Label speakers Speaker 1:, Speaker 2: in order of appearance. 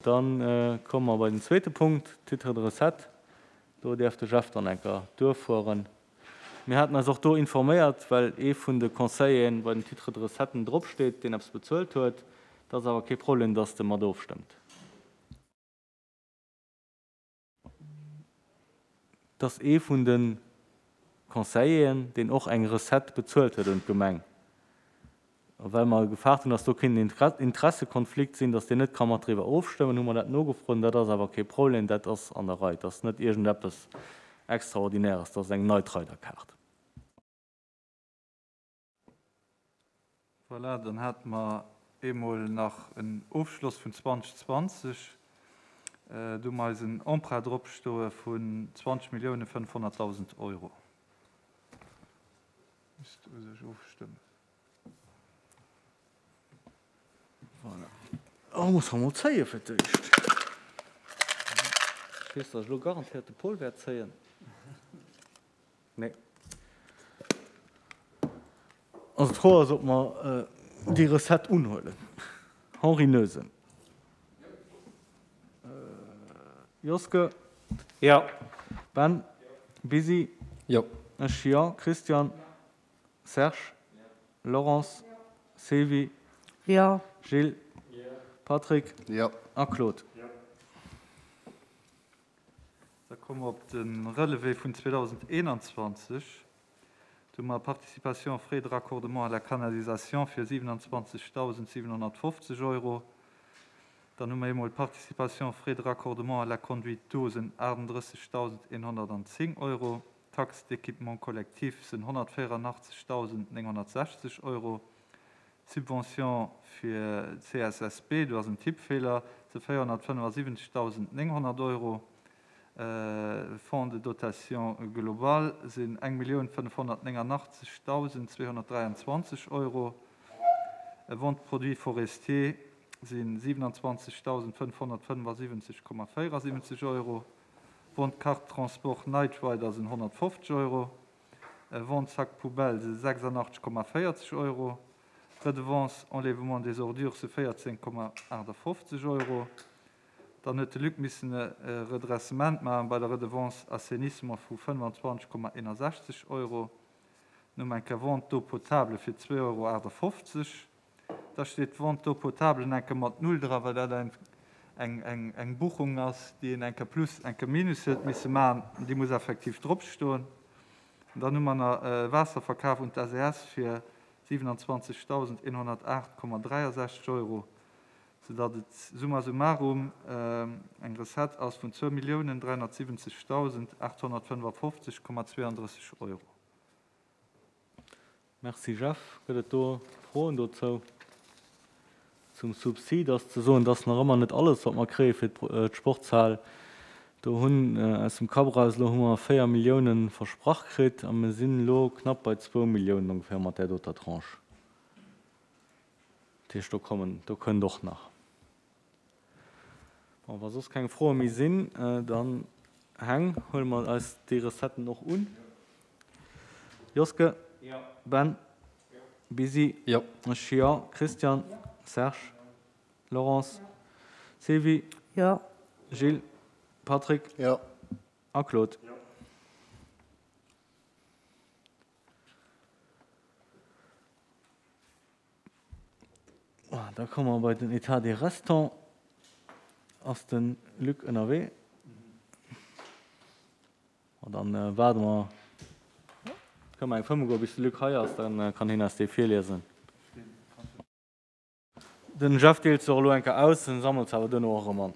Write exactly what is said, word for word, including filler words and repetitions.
Speaker 1: Dann komme mer bei den zweete Punkt, Titre de recette. Do däerf de Jeff dann eng Kéier duerfueren. Mir haten eis och do informéiert, well ee vun de Conseilleren bei den Titres de recetten dropsteet, deen eppes bezuelt huet. Dat ass awer kee Problem, dass de mat ofstëmmt. Dass ee vun de Conseilleren, deen och eng Recette bezuelt huet un d'Gemeng, a well mer gefaart hunn, dass do kéint en Interessekonflikt sinn, dass deen net ka mat driwwer ofstëmmen, hu mer dat nogefrot. An dat ass awer kee Problem, dat ass an der Rei. Dat ass net iergendeppes Extraordinäres, dat ass eng Night-Rider-Kaart.
Speaker 2: Voilà, dann hate mer eemol nach en Ofschloss vun zweitausendzwanzeg. Do hu mer eisen Emprunt dropstoe vun zwanzeg Millioune fënnfhonnertdausend Euro. Misst u sech ofstëmmen.
Speaker 1: Voilà. Oh, muss mer mol zéie fir d'éischt. Ech weess, datt ech elo garantéiert de Paul wäert zéien. Nee. Also d'Fro ass, ob mer déi Recette unhuelen. Henri Noesen. Joske.
Speaker 3: Jo.
Speaker 1: Ben. Busy.
Speaker 3: Jo.
Speaker 1: Ech jo. Christian. Serge. Laurence. Sylvie.
Speaker 4: Jo.
Speaker 1: Gilles. Patrick.
Speaker 5: Jo.
Speaker 1: A Claude.
Speaker 2: Da komme mer op de Relevé vun zweedausendeenanzwanzeg. Do hu mer Participation frais de raccordement à la canalisation fir siwenanzwanzegdausendsiwenhonnertfofzeg Euro. Dann hu mer eemol Participation frais de raccordement à la conduite d'eau sinn achtendrëssigdausendeenhonnertanzéng Euro. Taxe d'équipement collectif sinn honnertvéierandachtzegdausendnénghonnertsechzeg Euro. Subvention fir C S S B, do ass en Tippfeeler, si véierhonnertfënnefasiwwenzegdausendnénghonnert Euro. Fonds de dotation global sinn eng Millioun fënnefhonnertnéngandachtzegdausendzweehonnertdräianzwanzeg Euro. Vente produits forestiers si siwenanzwanzegdausendfënnfhonnertfënnefasiwwenzeg Komma véierasiwwenzeg Euro. Vente carte transport Night Rider sinn honnertfofzeg Euro. Vente sac poubelle si sechsandachtzeg Komma véierzeg Euro. Redevance enlèvement des ordures si véierzéng Komma aachtafofzeg Euro. Dann huet de Luc missen e Redressement maachen bei der Redevance assainissement vu fënnefanzwanzeg Komma eenasechzeg Euro. Dann hu mer eng Kéier Vente d'eau potable fir zwee Euro aachtafofzeg. Da steet d'Vente d'eau potable eng Kéier mat null dra, well dat eng, eng, eng, eng Buchung ass, déi een eng Kéier plus, eng Kéier minus huet misse maachen. Déi muss effektiv dropstoen. Dann hu mer nach Waasserverkaf un d'S E S fir siwenanzwanzegdausendeenhonnertaacht Komma dräiasechzeg Euro, soudatt et summa summarum eng Recette ass vun zwou Milliounen dräihonnertsiwwenzegdausendachthonnertfënnefafofzeg Komma zweeandrësseg Euro.
Speaker 1: Merci Jeff. Gëtt et do Froen dozou? Zum Subsid ass ze soen, dass nach ëmmer net alles, wat mer kréie fir d'Sportshal. Do hunn aus dem Kapp eraus, elo hu mer véier Milliounen versprach kritt a mir sinn elo knapp bei zwou Milliounen ongeféier mat där doter Tranche. Dat heescht, do kommen, do kënnt och nach. Bon, wa soss keng Froe méi sinn, dann Heng, huele mer eis déi Recetten och un. Joske?
Speaker 3: Jo.
Speaker 1: Ben? Busy?
Speaker 3: Jo.
Speaker 1: Ech jo. Christian? Serge? Laurence? Sylvie?
Speaker 4: Jo.
Speaker 1: Gilles? Patrick?
Speaker 5: Jo.
Speaker 1: A Claude?
Speaker 3: Jo.
Speaker 1: Da komme mer bei den État des restants. Ass de Luc ënnerwee? Dann waarde mer, kënne mer eng Fëmme goen, bis de Luc hei ass, dann kann hien eis dee virliesen. Den Jeff deelt se och elo eng Kéier aus, en sammelt se awer duerno och erëm an.